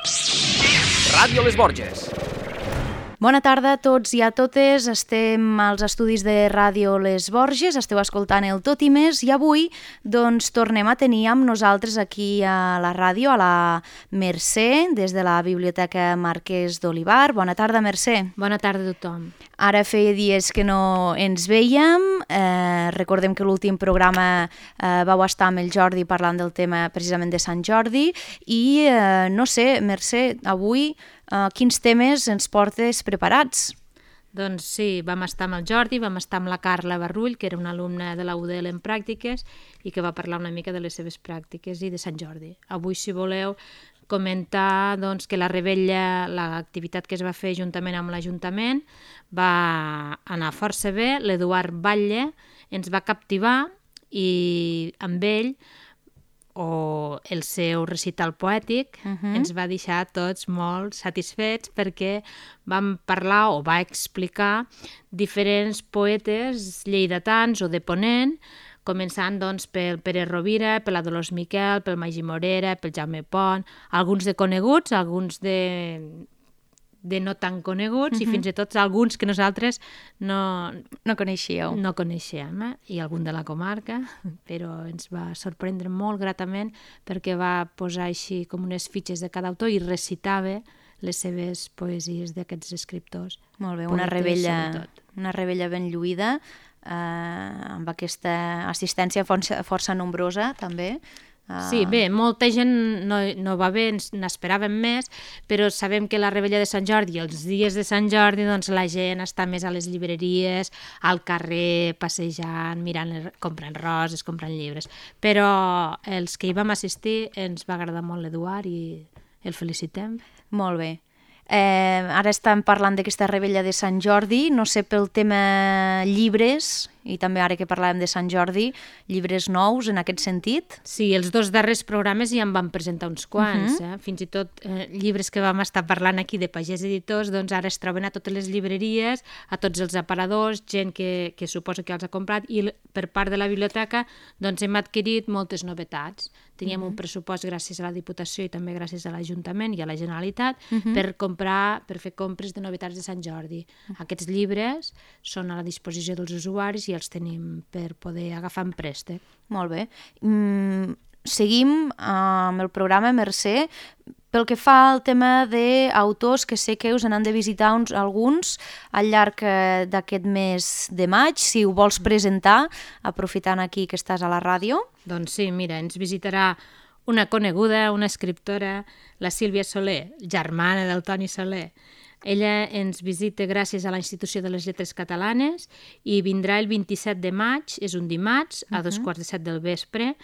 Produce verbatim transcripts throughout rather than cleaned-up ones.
Ràdio Les Borges. Bona tarda a tots i a totes, estem als estudis de Ràdio Les Borges, esteu escoltant el Tot i Més i avui doncs, tornem a tenir amb nosaltres aquí a la ràdio, a la Mercè, des de la Biblioteca Marquès d'Olivar. Bona tarda, Mercè. Bona tarda a tothom. Ara feia dies que no ens veiem, eh, recordem que l'últim programa eh, vau estar amb el Jordi parlant del tema precisament de Sant Jordi i eh, no sé, Mercè, avui Uh, quins temes ens portes preparats? Doncs sí, vam estar amb el Jordi, vam estar amb la Carla Barrull, que era una alumna de la U D L en pràctiques i que va parlar una mica de les seves pràctiques i de Sant Jordi. Avui, si voleu, comentar doncs, que la Rebella, l'activitat que es va fer juntament amb l'Ajuntament, va anar força bé. L'Eduard Batlle ens va captivar i amb ell o el seu recital poètic uh-huh. ens va deixar tots molt satisfets perquè vam parlar o va explicar diferents poetes lleidatans o de Ponent, començant doncs, pel Pere Rovira, per la Dolors Miquel, pel Magí Morera, pel Jaume Pont, alguns de coneguts, alguns de... de no tan coneguts uh-huh. i fins i tot alguns que nosaltres no, no coneixíeu. No coneixíem, eh? I algun de la comarca, però ens va sorprendre molt gratament perquè va posar així com unes fitxes de cada autor i recitava les seves poesies d'aquests escriptors. Molt bé, una rebella, una rebella ben lluïda, eh, amb aquesta assistència força, força nombrosa també. Sí, bé, molta gent no, no va bé, n'esperàvem més, però sabem que la Rebella de Sant Jordi, els dies de Sant Jordi, doncs la gent està més a les llibreries, al carrer, passejant, mirant, comprant roses, comprant llibres. Però els que hi vam assistir ens va agradar molt l'Eduard i el felicitem. Molt bé. Eh, ara estem parlant d'aquesta Rebella de Sant Jordi, no sé, pel tema llibres, i també ara que parlàvem de Sant Jordi, llibres nous en aquest sentit? Sí, els dos darrers programes ja en vam presentar uns quants, uh-huh. eh? Fins i tot eh, llibres que vam estar parlant aquí de Pagès Editors, doncs ara es troben a totes les llibreries, a tots els aparadors, gent que, que suposa que els ha comprat, i per part de la biblioteca doncs hem adquirit moltes novetats. Teníem uh-huh. un pressupost gràcies a la Diputació i també gràcies a l'Ajuntament i a la Generalitat uh-huh. per comprar, per fer compres de novetats de Sant Jordi. Uh-huh. Aquests llibres són a la disposició dels usuaris i els tenim per poder agafar en préstec. Molt bé. Mm, seguim amb el programa, Mercè. Pel que fa al tema d'autors, que sé que us n'han de visitar uns, alguns al llarg d'aquest mes de maig, si ho vols presentar, aprofitant aquí que estàs a la ràdio. Doncs sí, mira, ens visitarà una coneguda, una escriptora, la Sílvia Soler, germana del Toni Soler. Ella ens visita gràcies a la Institució de les Lletres Catalanes i vindrà el vint-i-set de maig, és un dimarts, a dos quarts de set del vespre,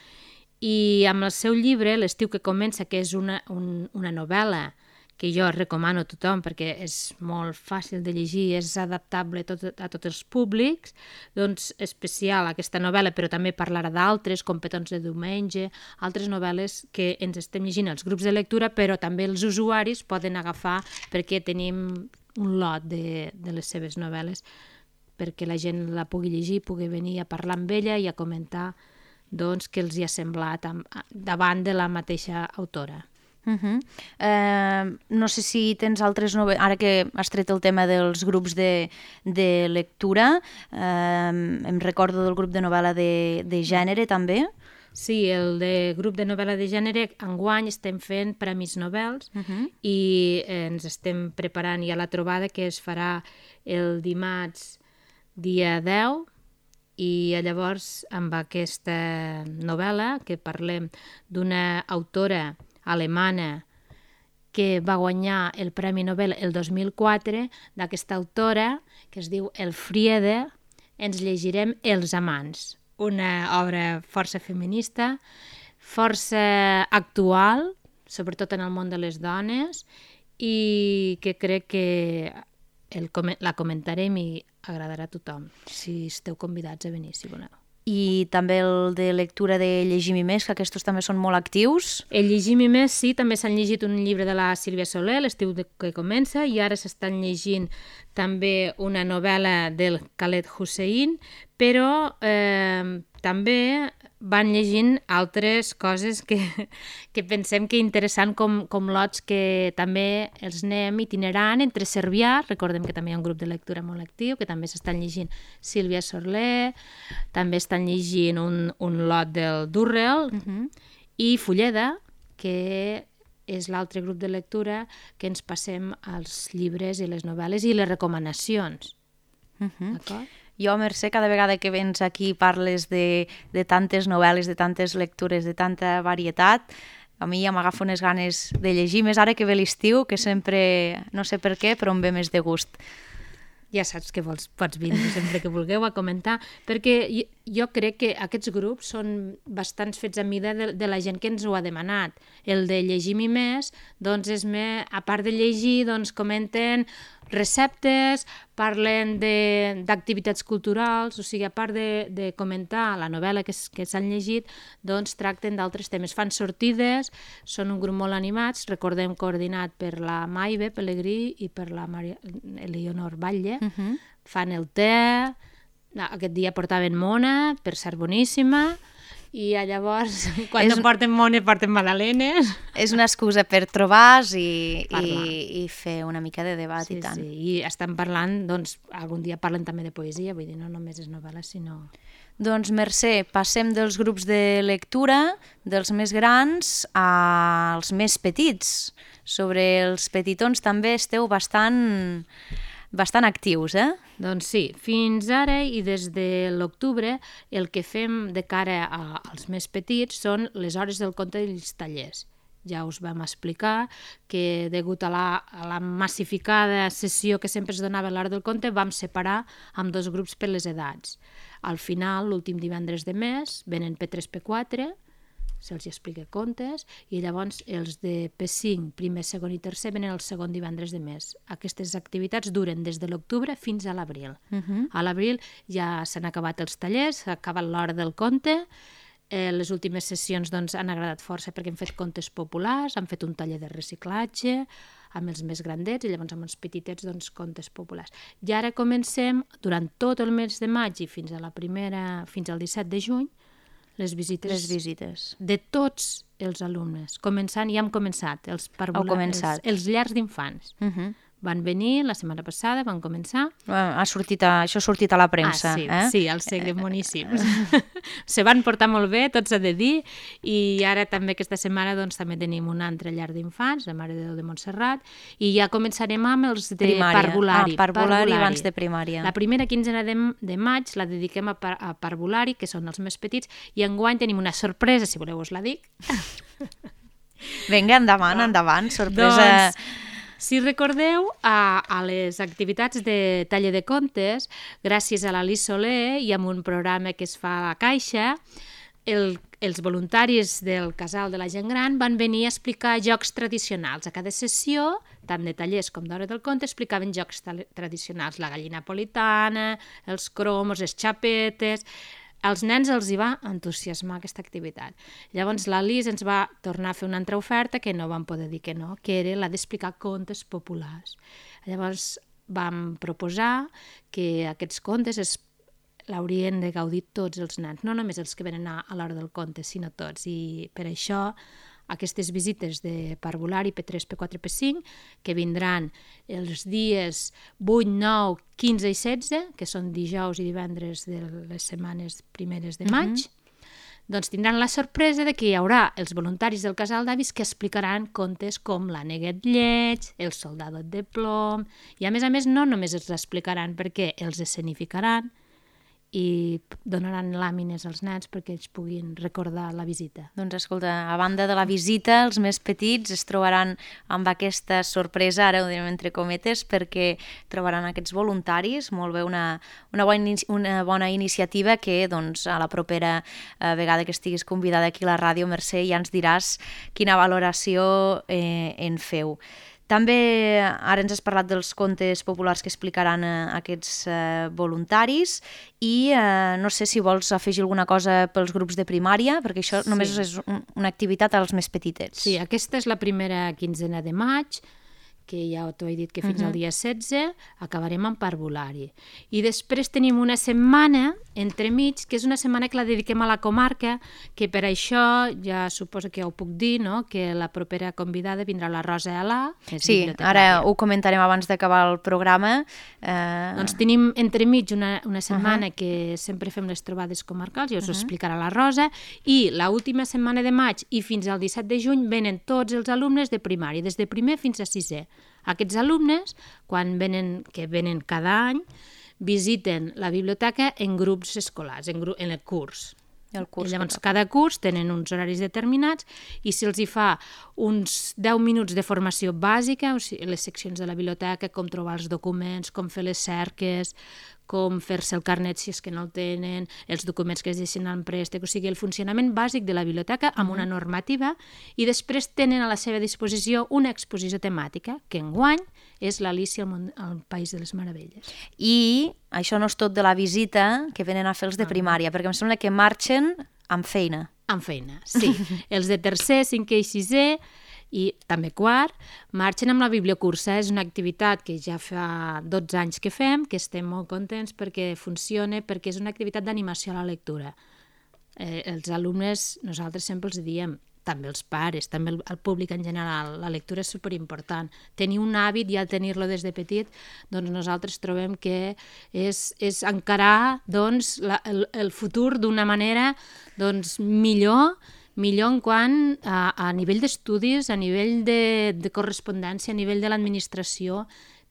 i amb el seu llibre, L'estiu que comença, que és una, un, una novel·la que jo recomano a tothom perquè és molt fàcil de llegir, és adaptable a, tot, a tots els públics, doncs especial aquesta novel·la, però també parlarà d'altres, com Petons de diumenge, altres novel·les que ens estem llegint als grups de lectura, però també els usuaris poden agafar perquè tenim un lot de, de les seves novel·les perquè la gent la pugui llegir, pugui venir a parlar amb ella i a comentar doncs, què els hi ha semblat davant de la mateixa autora. Uh-huh. Eh, no sé si tens altres novetats, ara que has tret el tema dels grups de, de lectura, eh, em recordo del grup de novel·la de, de gènere també. Sí, el de grup de novel·la de gènere, enguany estem fent premis Nobels uh-huh. i eh, ens estem preparant ja la trobada que es farà el dimarts dia deu, i llavors amb aquesta novel·la que parlem d'una autora alemana que va guanyar el Premi Nobel el dos mil quatre, d'aquesta autora que es diu Elfriede, ens llegirem Els amants, una obra força feminista, força actual, sobretot en el món de les dones, i que crec que el, la comentarem i agradarà a tothom, si esteu convidats a venir, si voleu. I també el de lectura de Llegim-hi més, que aquests també són molt actius. El Llegim-hi més, sí, també s'han llegit un llibre de la Sílvia Soler, L'estiu que comença, i ara s'estan llegint també una novel·la del Khaled Hossein, però eh, també van llegint altres coses que, que pensem que interessant, com, com lots que també els anem itinerant entre Cervià, recordem que també hi ha un grup de lectura molt actiu, que també s'estan llegint Sílvia Sorler, també estan llegint un, un lot del Durrell, uh-huh. i Fulleda, que és l'altre grup de lectura que ens passem als llibres i les novel·les i les recomanacions. Uh-huh. D'acord? Jo, Mercè, cada vegada que vens aquí parles de, de tantes novel·les, de tantes lectures, de tanta varietat, a mi ja m'agafa unes ganes de llegir, més ara que ve l'estiu, que sempre, no sé per què, però em ve més de gust. Ja saps que vols, pots vindre sempre que vulgueu a comentar, perquè jo, jo crec que aquests grups són bastants fets a mida de, de la gent que ens ho ha demanat. El de Llegim i més, doncs és més, a part de llegir, doncs comenten receptes, parlen d'activitats culturals, o sigui, a part de, de comentar la novel·la que, que s'han llegit, doncs tracten d'altres temes. Fan sortides, són un grup molt animats, recordem coordinat per la Maive Pellegrí i per la Maria Eleonor Batlle, uh-huh. fan el te, aquest dia portaven mona, per ser boníssima, i llavors, quan és, no porten mona, porten magdalenes. És una excusa per trobar-se i, i, i fer una mica de debat, sí, i tant. Sí, i estan parlant, doncs, algun dia parlen també de poesia, vull dir, no només és novel·la, sinó... Doncs, Mercè, passem dels grups de lectura, dels més grans, als més petits. Sobre els petitons també esteu bastant... bastant actius, eh? Doncs sí, fins ara i des de l'octubre el que fem de cara a, als més petits són les hores del conte i els tallers. Ja us vam explicar que degut a la, a la massificada sessió que sempre es donava a l'hora del conte vam separar amb dos grups per les edats. Al final, l'últim divendres de mes, venen P tres P quatre, se'ls explica contes, i llavors els de P cinc, primer, segon i tercer, venen el segon divendres de mes. Aquestes activitats duren des de l'octubre fins a l'abril. Uh-huh. A l'abril ja s'han acabat els tallers, s'ha acabat l'hora del conte, eh, les últimes sessions doncs, han agradat força perquè hem fet contes populars, han fet un taller de reciclatge, amb els més grandets, i llavors amb els petitets, doncs, contes populars. I ara comencem, durant tot el mes de maig i fins a la primera, fins al disset de juny, les visites, les visites de tots els alumnes, començant, ja hem començat, els parvulars, els, els llars d'infants. Uh-huh. Van venir la setmana passada, van començar. Ha sortit a, això ha sortit a la premsa. Ah, sí, eh? sí, els segles boníssims. Se van portar molt bé, tot s'ha de dir, i ara també aquesta setmana doncs, també tenim un altre llar d'infants, la Mare de Déu de Montserrat, i ja començarem amb els de primària. parvulari. Ah, parvulari, parvulari abans de primària. La primera quinzena de, de maig la dediquem a, par, a parvulari, que són els més petits, i enguany tenim una sorpresa, si voleu us la dic. Vinga, endavant, ah. endavant, sorpresa... Doncs, si recordeu, a, a les activitats de taller de contes, gràcies a l'Alice Soler i amb un programa que es fa a la Caixa, el, els voluntaris del Casal de la Gent Gran van venir a explicar jocs tradicionals. A cada sessió, tant de tallers com d'hora del conte, explicaven jocs tradicionals, la gallina napolitana, els cromos, les xapetes... Als nens els hi va entusiasmar aquesta activitat. Llavors l'Alice ens va tornar a fer una altra oferta que no vam poder dir que no, que era la d'explicar contes populars. Llavors vam proposar que aquests contes es, l'haurien de gaudir tots els nens, no només els que venen a, a l'hora del conte, sinó tots. I per això aquestes visites de parvulari P tres, P quatre, P cinc, que vindran els dies vuit, nou, quinze i setze, que són dijous i divendres de les setmanes primeres de maig, uh-huh. doncs tindran la sorpresa de que hi haurà els voluntaris del Casal d'Avis que explicaran contes com l'Aneguet Lleig, el Soldadot de Plom, i a més a més no només els explicaran perquè els escenificaran, i donaran làmines als nens perquè ells puguin recordar la visita. Doncs escolta, a banda de la visita, els més petits es trobaran amb aquesta sorpresa, ara ho direm entre cometes, perquè trobaran aquests voluntaris, molt bé, una, una, bona, una bona iniciativa que doncs, a la propera eh, vegada que estiguis convidada aquí a la ràdio, Mercè, ja ens diràs quina valoració eh, en feu. També ara ens has parlat dels contes populars que explicaran eh, aquests eh, voluntaris i eh, no sé si vols afegir alguna cosa pels grups de primària, perquè això sí. només és un, una activitat als més petitets. Sí, aquesta és la primera quinzena de maig, que ja t'ho he dit que fins Mhm. al dia setze acabarem amb parvulari. I després tenim una setmana entremig, que és una setmana que la dediquem a la comarca, que per això ja suposo que ja ho puc dir, no? Que la propera convidada vindrà la Rosa Alà, que és Sí, bibliotecària. ara ho comentarem abans d'acabar el programa. Eh... Doncs tenim entremig una, una setmana uh -huh. que sempre fem les trobades comarcals, ja us ho uh -huh. explicarà la Rosa, i l'última setmana de maig i fins al disset de juny venen tots els alumnes de primària, des de primer fins a sisè. Aquests alumnes, quan venen, que venen cada any, visiten la biblioteca en grups escolars, en, gru en el curs. El curs I llavors, cada curs tenen uns horaris determinats i si els hi fa uns deu minuts de formació bàsica, o sigui, les seccions de la biblioteca, com trobar els documents, com fer les cerques, com fer-se el carnet si és que no el tenen, els documents que es deixen en préstec, o sigui, el funcionament bàsic de la biblioteca amb una normativa, i després tenen a la seva disposició una exposició temàtica, que enguany és l'Alícia al, món, al País de les Meravelles. I això no és tot de la visita que venen a fer els de primària, perquè em sembla que marxen amb feina. Amb feina, sí. Els de tercer, cinquè i sisè, i també quart, marxen amb la bibliocursa. És una activitat que ja fa dotze anys que fem, que estem molt contents perquè funciona, perquè és una activitat d'animació a la lectura. Eh, els alumnes, nosaltres sempre els diem, també els pares, també el, el públic en general, la lectura és superimportant. Tenir un hàbit i al tenir-lo des de petit, doncs nosaltres trobem que és, és encarar doncs, la, el, el futur d'una manera doncs, millor, millor en quant a, a nivell d'estudis, a nivell de, de correspondència, a nivell de l'administració,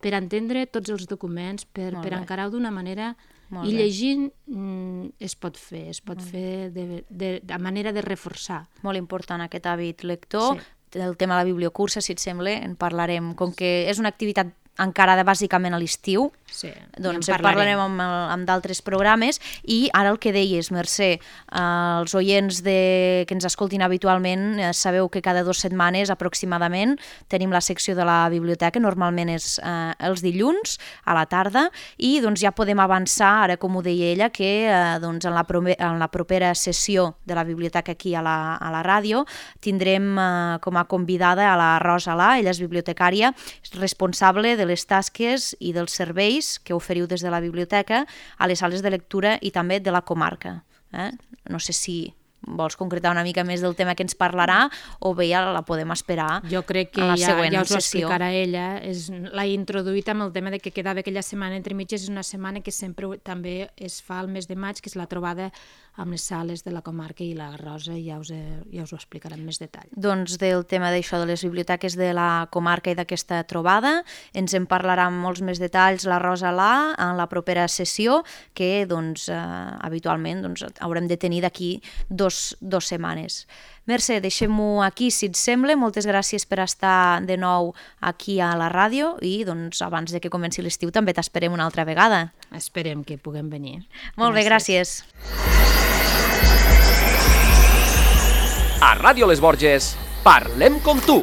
per entendre tots els documents, per, per encarar-ho d'una manera... Molt I llegint mm, es pot fer, es pot Molt fer de, de, de manera de reforçar. Molt important aquest hàbit lector. Sí. El tema de la bibliocursa, si et sembla, en parlarem. Com que és una activitat encarada bàsicament a l'estiu, sí, doncs ja en parlarem amb, amb d'altres programes. I ara el que deies, Mercè, eh, els oients de, que ens escoltin habitualment, eh, sabeu que cada dues setmanes aproximadament tenim la secció de la biblioteca, normalment és eh, els dilluns a la tarda, i doncs ja podem avançar, ara com ho deia ella, que eh, doncs en, la en la propera sessió de la biblioteca aquí a la, a la ràdio tindrem eh, com a convidada a la Rosa Alà. Ella és bibliotecària, és responsable de les tasques i dels serveis que oferiu des de la biblioteca a les sales de lectura i també de la comarca. Eh? No sé si vols concretar una mica més del tema que ens parlarà o bé ja la podem esperar jo crec que a la ja, següent ja us ho sessió. explicarà ella. L'ha introduït amb el tema de que quedava aquella setmana entre mitges. És una setmana que sempre també es fa al mes de maig, que és la trobada amb les sales de la comarca, i la Rosa ja us, ja us ho explicarà amb més detall. Doncs del tema d'això de les biblioteques de la comarca i d'aquesta trobada ens en parlarà amb molts més detalls la Rosa Alà en la propera sessió, que doncs, eh, habitualment doncs, haurem de tenir d'aquí dos, dos setmanes. Mercè, deixem-ho aquí, si et sembla. Moltes gràcies per estar de nou aquí a la ràdio i doncs, abans de que comenci l'estiu també t'esperem una altra vegada. Esperem que puguem venir. Molt bé, gràcies. A Ràdio Les Borges, parlem com tu.